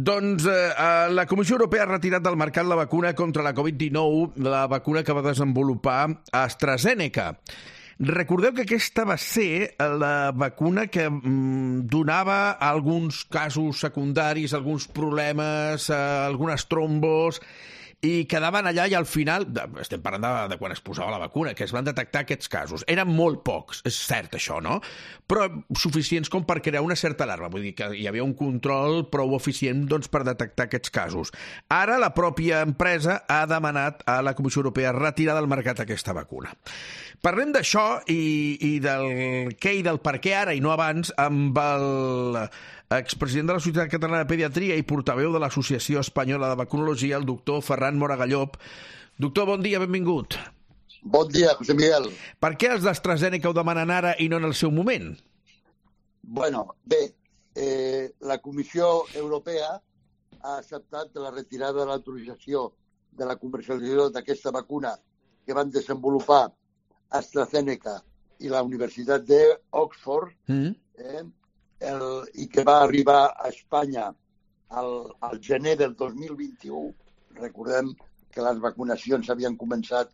Doncs la Comissió Europea ha retirat del mercat la vacuna contra la Covid-19, la vacuna que va desenvolupar AstraZeneca. Recordeu que aquesta va ser la vacuna que donava alguns casos secundaris, alguns problemes, algunes trombos, i quedaven allà i al final, estem parlant de quan es posava la vacuna, que es van detectar aquests casos. Eren molt pocs, és cert això, no? Però suficients com per crear una certa alarma. Vull dir que hi havia un control prou eficient per detectar aquests casos. Ara la pròpia empresa ha demanat a la Comissió Europea retirar del mercat aquesta vacuna. Parlem d'això i del què i del per què ara i no abans amb el expresident de la Societat Catalana de Pediatria i portaveu de l'Associació Espanyola de Vacunologia, el doctor Ferran Moragallop. Doctor, bon dia, benvingut. Bon dia, José Miguel. Per què els d'AstraZeneca ho demanen ara i no en el seu moment? Bueno, bé, la Comissió Europea ha acceptat la retirada de l'autorització de la comercialització d'aquesta vacuna que van desenvolupar AstraZeneca i la Universitat d'Oxford, i que va arribar a Espanya al gener del 2021. Recordem que les vacunacions havien començat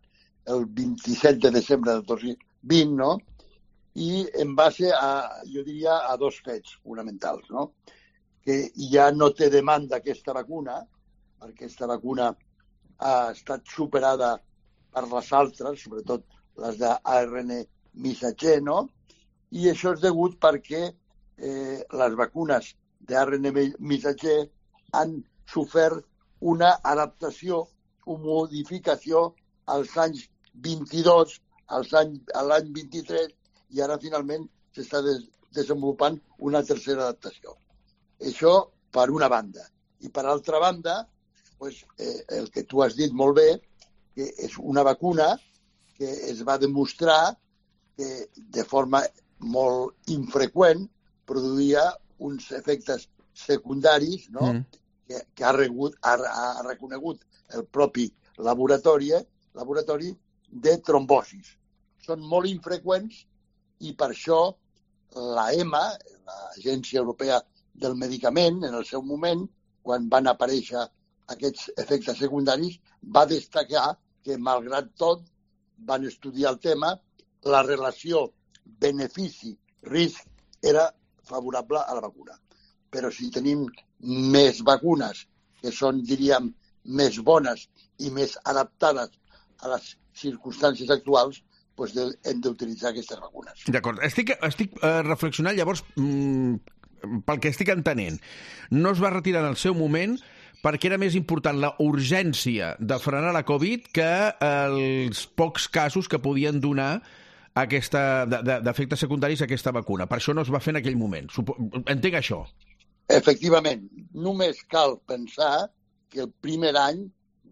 el 27 de desembre del 2020, no? I en base jo diria, a dos fets fonamentals, no? Que ja no té demanda aquesta vacuna, perquè aquesta vacuna ha estat superada per les altres, sobretot les d'ARN missatger, no? I això és degut perquè les vacunes d'ARN missatger han sofert una adaptació o modificació als anys 22, a l'any 23, i ara finalment s'està desenvolupant una tercera adaptació. Això per una banda. I per altra banda, el que tu has dit molt bé, que és una vacuna que es va demostrar que de forma molt infreqüent produïa uns efectes secundaris, no? Que ha reconegut el propi laboratori de trombosis. Són molt infreqüents i per això l'EMA, l'Agència Europea del Medicament, en el seu moment, quan van aparèixer aquests efectes secundaris, va destacar que, malgrat tot, van estudiar el tema, la relació benefici-risc era favorable a la vacuna. Però si tenim més vacunes que són, diríem, més bones i més adaptades a les circumstàncies actuals, doncs hem d'utilitzar aquestes vacunes. D'acord. Estic reflexionant, llavors, pel que estic entenent, no es va retirar en el seu moment perquè era més important la urgència de frenar la Covid que els pocs casos que podien donar d'efectes secundaris a aquesta vacuna. Per això no es va fer en aquell moment. Entenc això. Efectivament. Només cal pensar que el primer any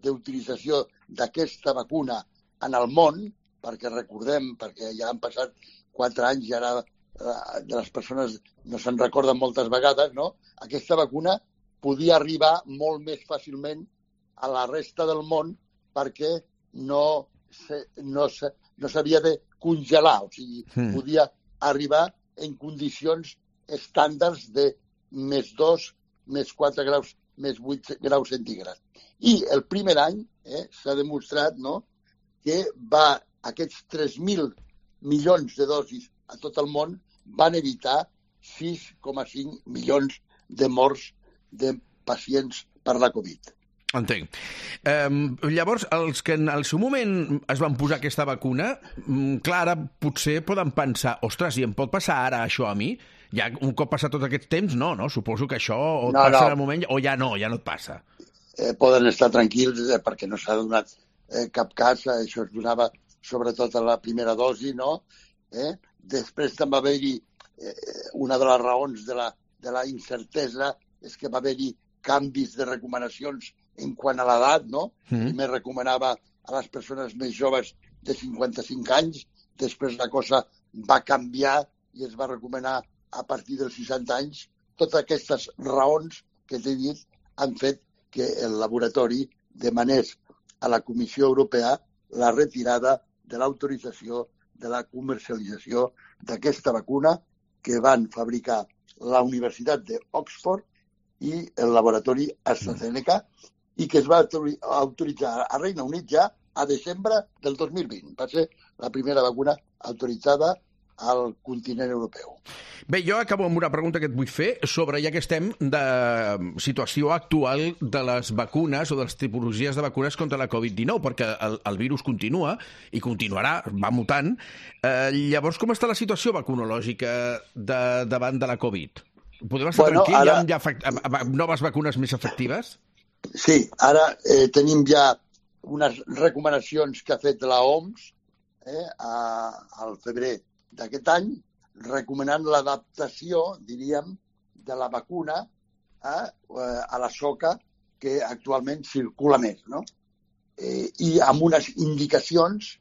d'utilització d'aquesta vacuna en el món, perquè recordem, perquè ja han passat 4 anys i ara de les persones no se'n recorden moltes vegades, no? Aquesta vacuna podia arribar molt més fàcilment a la resta del món perquè no s'havia de congelar, o sigui, podia arribar en condicions estàndards de -2, -4 graus, -8 graus centígrads. I el primer any s'ha demostrat, no, que aquests 3.000 milions de dosis a tot el món van evitar 6,5 milions de morts de pacients per la Covid. Entenc. Llavors, els que en el seu moment es van posar aquesta vacuna, clar, ara potser poden pensar, ostres, i em pot passar ara això a mi? Ja un cop passat tot aquest temps, no? Suposo que això o et passa en el moment o ja no et passa. Poden estar tranquils perquè no s'ha donat cap cas, això es donava sobretot a la primera dosi, no? Després també va haver-hi una de les raons de la incertesa és que va haver-hi canvis de recomanacions en quant a l'edat, no? Primer recomanava a les persones més joves de 55 anys, després la cosa va canviar i es va recomanar a partir dels 60 anys. Totes aquestes raons que t'he dit han fet que el laboratori demanés a la Comissió Europea la retirada de l'autorització de la comercialització d'aquesta vacuna que van fabricar la Universitat d'Oxford i el laboratori AstraZeneca, i que es va autoritzar a Regne Unit ja a desembre del 2020. Va ser la primera vacuna autoritzada al continent europeu. Bé, jo acabo amb una pregunta que et vull fer sobre, ja que estem, de situació actual de les vacunes o de les tipologies de vacunes contra la Covid-19, perquè el virus continua i continuarà, va mutant. Llavors, com està la situació vacunològica davant de la Covid? Podem estar tranquils? Ara... Hi ha noves vacunes més efectives? Sí, ara tenim ja unes recomanacions que ha fet la OMS al febrer d'aquest any, recomanant l'adaptació, diríem, de la vacuna a la soca que actualment circula més, no? I amb unes indicacions,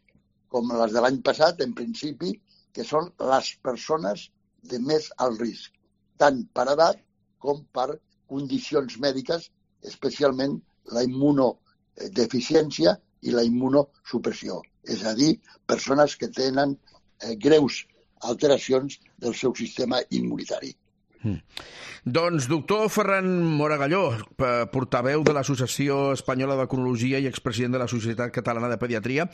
com les de l'any passat, en principi, que són les persones de més alt risc, tant per edat com per condicions mèdiques, especialment la immunodeficiència i la immunosupressió, és a dir, persones que tenen greus alteracions del seu sistema immunitari. Doncs, doctor Ferran Moragalló, portaveu de l'Associació Espanyola de Vacunologia i expresident de la Societat Catalana de Pediatria.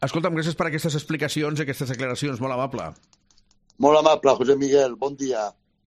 Escolta'm, gràcies per aquestes explicacions i aquestes declaracions. Molt amable. Molt amable, José Miguel. Bon dia.